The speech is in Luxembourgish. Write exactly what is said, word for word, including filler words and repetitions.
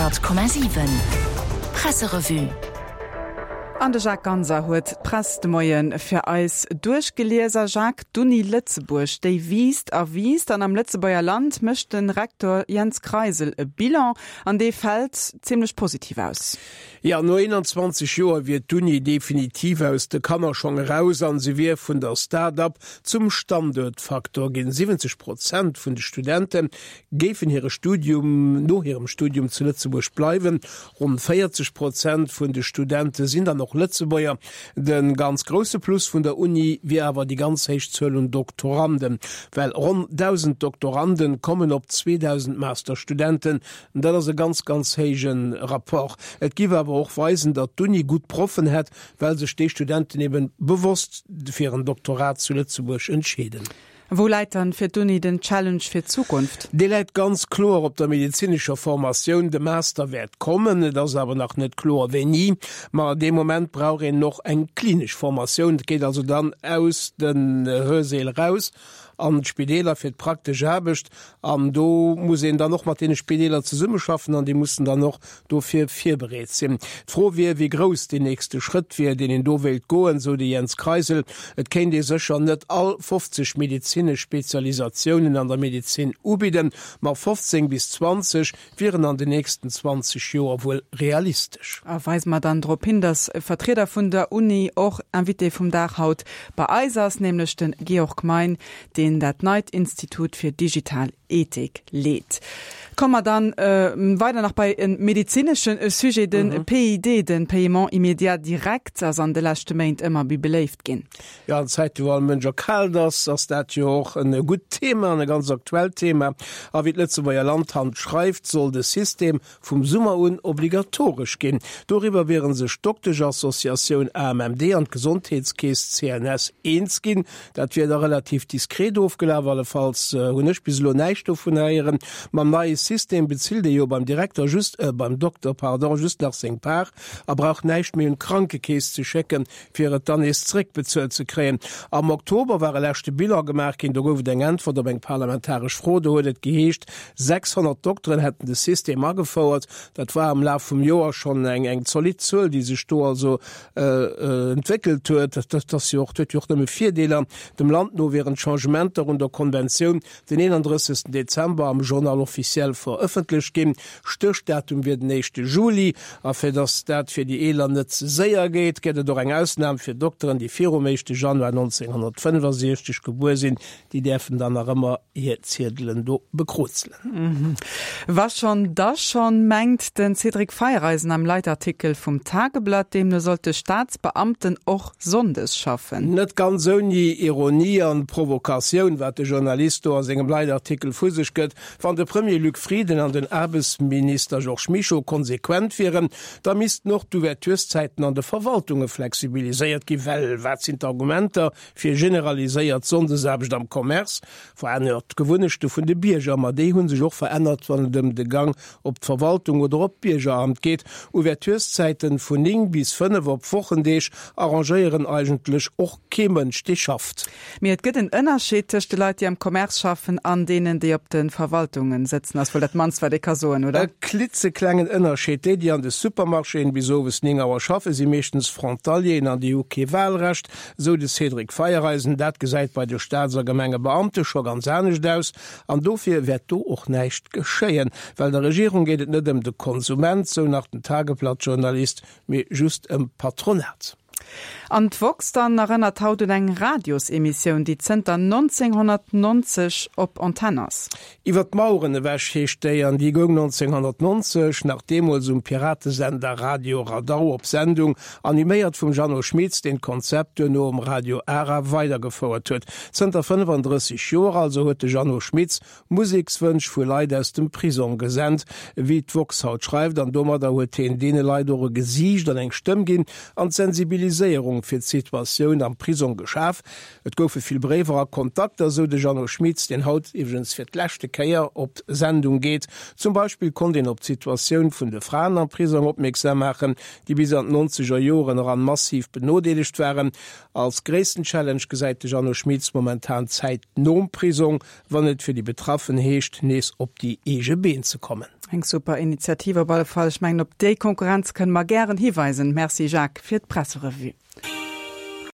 Honnert Komma siwen Presserevue. An de Jacques Ganser huet d'Press de Moie fir eis duerchgelies. A Jacques, d'Uni Lëtzebuerg, déi wiisst a wiisst an am Lëtzebuerger Land mécht de Rektor Jens Kreisel e Bilan an dee fält zimmlech positiv aus. Jo, no eenanzwanzeg Joer wier d'Uni definitiv aus de Kannerschong eraus an se wier vun der Start-up zum Standuertfaktor ginn. Siwwenzeg Prozent vun de Studente géifen hire Studium no hirem Studium zu Lëtzebuerg bleiwen. Ronn véierzeg Prozent vun de Studente sinn dann och Lëtzebuerger. De ganz grousse Plus vun der Uni wier awer déi ganz héich Zuel un Doktoranden, well ronn dausend Doktoranden kommen op zweedausend Masterstudenten. Dat ass e ganz, ganz héije Rapport. Et giff awer och weisen, datt d'Uni gutt Proffen hätt, well sech déi Studenten eben bewosst fir en Doktorat zu Lëtzebuerg entscheeden. Wou läit dann fir d'Uni den Challenge fir d'Zukunft? Dee läit ganz kloer op der medezinescher Formatioun. De Master wäert kommen, et ass awer nach net kloer wéini. Ma dee Moment brauch een och eng klinesch Formatioun. Et geet also dann aus den Hörsäl eraus an d'Spideeler fir d'praktesch Aarbecht. An do muss een dann och mat deene Spideeler zesummeschaffen an déi mussen dann och dofir virbereet sinn. D'Fro wier, wéi grouss deen nächste Schrëtt wier, deen een do wéilt goen, sou de Jens Kreisel. Et kéint ee sécher net all fofzeg medezinesch Spezialisatiounen an der Medezin ubidden, ma fofzéng bis zwanzeg wieren an den nächsten zwanzeg Joer wuel realistesch. A weise mer dann drop hin, dass e Vertrieder vun der Uni och Invité vum Dag haut bei eis ass, nämlech de Georg Mein, deen dat neit Institut fir digital Ethik leet. Komme mer dann weider nach bei e medezinesche Sujet, de P I D, de Paiement immédiat direct, ass an de leschte Méint ëmmer méi beléift ginn. Jo, an Zäite wou all Mënsch erkaalt ass, ass dat jo och e gutt Thema an e ganz aktuellt Thema. A wéi d'Lëtzebuerger Land haut schreift, soll de System vum Summer un obligatoresch ginn. Doriwwer wiere sech d'Doktesch-Associatioun A M M D an d'Gesondheetskeess C N S eens ginn. Dat wier da relativ diskret ofgelaf, allefalls hunn ech bis elo näischt dovun héieren. Mam neie System bezilt ee jo beim Direkter just, beim Dokter, pardon, just nach seng Part a brauch näischt méi un d'Krankekeess ze schécken, fir et dann nees zeréckbezuelt ze kréien. Am Oktober war e leschte Bilan gemaach ginn, do gouf et eng Äntwert op eng parlamentaresch Fro. Do huet et geheescht, sechshonnert Dokteren hätten de System agefouert. Dat war am Laf vum Joer schonn eng eng zolidd Zuel, déi sech do also entwéckelt huet. Dat ass jo och, huet jo och nëmme Virdeeler. Dem Land no wieren d'Changementer un der Konventioun den eenandrëssegsten Dezember am Journal officiel verëffentlecht ginn. Stéchdatum wier den éischte Juli. A fir datt dat fir déi Eeler net ze séier geet, gëtt et och eng Ausnam fir Dokteren, déi virum éischte Januar nonzénghonnertfënnefasechzeg gebuer sinn. Déi däerfen dann nach ëmmer hir Ziedelen do bekrozelen. Wa schonn, da schonn, mengt de Cédric Feiereisen am Leitartikel vum Tageblatt. Deemno sollte Staatsbeamten och sonndes schaffen. Net ganz ouni Ironie an Provokatioun, wat de Journalist do a sengem Leitartikel vu sech gëtt. Wann de Premier Luc Frieden an den Aarbechtsminister Georges Mischo konsequent wieren, da missten och d'Ouvertureszäiten an de Verwaltunge flexibiliséiert ginn. Well wat sinn d'Argumenter fir generaliséiert Sonndesaarbecht am Commerce? Verännert d'Gewunnechte vun de Bierger, ma déi hu sech och verännert, wann et ëm de Gang op d'Verwaltung oder op d'Biergeramt geet. Ouvertureszäiten vun néng bis fënnef op Wochendeeg arrangéieren eigentlech och kee Mënsch, dee schafft. Mee et gëtt en Ënnerscheed tëscht de Leit, déi am Commerce schaffen an deenen, déi op de Verwaltungen sëtzen, ass wuel dat mannst, wat ee ka soen, oder? E klitzeklengen Ënnerscheed, Déi, déi an de Supermarchéen bis owes néng Auer schaffen, si meeschtens Frontalieren an déi hu kee Wahlrecht, esou de Cédric Feiereisen. Dat gesäit bei de Staats a Gemengebeamte scho ganz anescht aus an dofir wäert do och näischt geschéien, well der Regierung geet et net ëm de Konsument, sou nach den Tageblatt-Journalist, mee just ëm d'Patronat. An d'woxx dann erënnert haut un eng Radiosemissioun, déi zënter nonzénghonnertnonzeg op Antenn ass. Iwwer d'Maueren ewech heescht déi, an déi goung nonzénghonnertnonzeg nach deemools um Piratesender Radio Radau op Sendung, animéiert vum Jeannot Schmitz, deen d'Konzept duerno um Radio Ara weidergefouert huet. Zënter fënnefandrësseg Joer also huet de Jeannot Schmitz Musekswënsch vu Leit aus dem Prisong gesent, wéi d'woxx haut schreift, an domadder huet hien deene Leit och e Gesiicht an eng Stëmm ginn an d'Sensibiliséierung fir d'Situatioun am Prisong geschaf. Et goufe vill Bréiwer a Kontakter, esou de Jeannot Schmitz, deen haut iwwregens fir d'leschte Kéier op Sendung geet. Zum Beispill konnt een op d'Situatioun vun de Fraen am Prisong opmierksam maachen, déi bis an d'nonzeger Joren eran massiv benodeelegt waren. Als gréissten Challenge gesäit de Jeannot Schmitz momentan d'Zäit nom Prisong, wann et fir déi Betraffen heescht, nees op déi eege Been ze kommen. Eng super Initiativ op alle Fall. Ech mengen, op déi Konkurrenz kënne mer gären hiweisen. Merci Jacques fir d'Presserevue.